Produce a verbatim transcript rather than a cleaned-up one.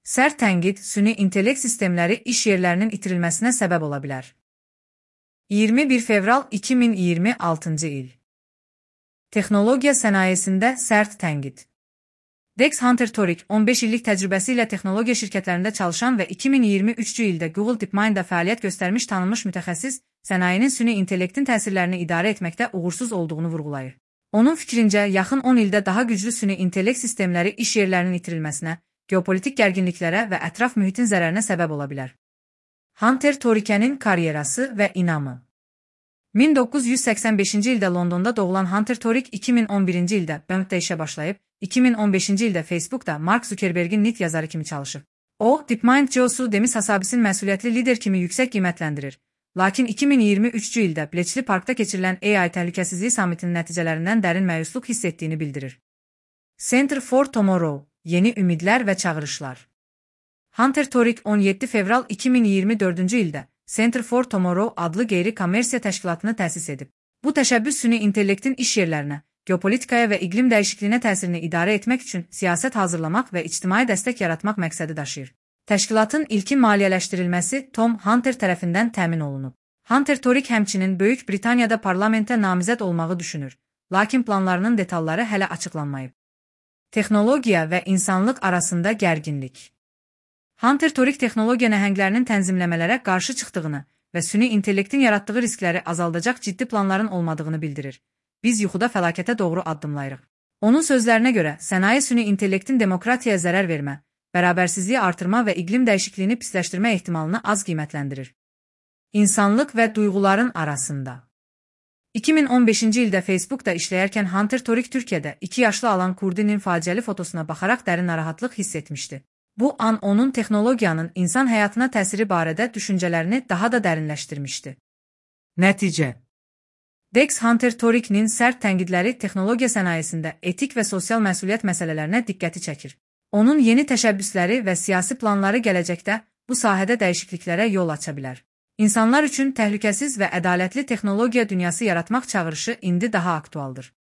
Sərt tənqid süni intellekt sistemləri iş yerlərinin itirilməsinə səbəb ola bilər. iyirmi bir fevral iki min iyirmi altıncı il. Texnologiya sənayesində sərt tənqid. Dex Hunter Torik on beş illik təcrübəsi ilə texnologiya şirkətlərində çalışan və iki min iyirmi üçüncü ildə Google DeepMind'da fəaliyyət göstərmiş tanınmış mütəxəssis, sənayenin süni intellektin təsirlərini idarə etməkdə uğursuz olduğunu vurğulayır. Onun fikrincə, yaxın on ildə daha güclü süni intellekt sistemləri iş yerlərinin itirilməsinə, geopolitik gərginliklərə və ətraf mühitin zərərinə səbəb ola bilər. Hunter Torikənin karyerası və inamı. min doqquz yüz səksən beşinci ildə Londonda doğulan Hunter Torik iki min on birinci ildə B M T-də işə başlayıb, iki min on beşinci ildə Facebook'da Mark Zuckerberg'in nit yazarı kimi çalışıb. O, DeepMind C E O-su Demis Hassabis'in məsuliyyətli lider kimi yüksək qiymətləndirir. Lakin iki min iyirmi üçüncü ildə Bletchley Parkda keçirilən A I təhlükəsizliyi sammitinin nəticələrindən dərin məyusluq hiss etdiyini bildirir. Center for Tomorrow, yeni ümidlər və çağırışlar. Hunter Torik on yeddi fevral iki min iyirmi dördüncü ildə Center for Tomorrow adlı qeyri-kommersiya təşkilatını təsis edib. Bu təşəbbüs süni intellektin iş yerlərinə, geopolitikaya və iqlim dəyişikliyinə təsirini idarə etmək üçün siyasət hazırlamaq və ictimai dəstək yaratmaq məqsədi daşıyır. Təşkilatın ilkin maliyyələşdirilməsi Tom Hunter tərəfindən təmin olunub. Hunter Torik həmçinin Böyük Britaniyada parlamentə namizəd olmağı düşünür, lakin planlarının detalları hələ açıqlanmayıb. Texnologiya və insanlıq arasında gərginlik. Hunter Torik texnologiya nəhənglərinin tənzimləmələrə qarşı çıxdığını və süni intellektin yaratdığı riskləri azaldacaq ciddi planların olmadığını bildirir. Biz yuxuda fəlakətə doğru addımlayırıq. Onun sözlərinə görə, sənaye süni intellektin demokratiyaya zərər vermə, bərabərsizliyi artırma və iqlim dəyişikliyini pisləşdirmə ehtimalını az qiymətləndirir. İnsanlıq və duyğuların arasında. iki min on beşinci ildə Facebook'da işləyərkən Hunter Torik Türkiyədə iki yaşlı alan Kurdinin faciəli fotosuna baxaraq dərin narahatlıq hiss etmişdi. Bu an onun texnologiyanın insan həyatına təsiri barədə düşüncələrini daha da dərinləşdirmişdi. Nəticə. Dex Hunter Torik'nin sərt tənqidləri texnologiya sənayesində etik və sosial məsuliyyət məsələlərinə diqqəti çəkir. Onun yeni təşəbbüsləri və siyasi planları gələcəkdə bu sahədə dəyişikliklərə yol aça bilər. İnsanlar üçün təhlükəsiz və ədalətli texnologiya dünyası yaratmaq çağırışı indi daha aktualdır.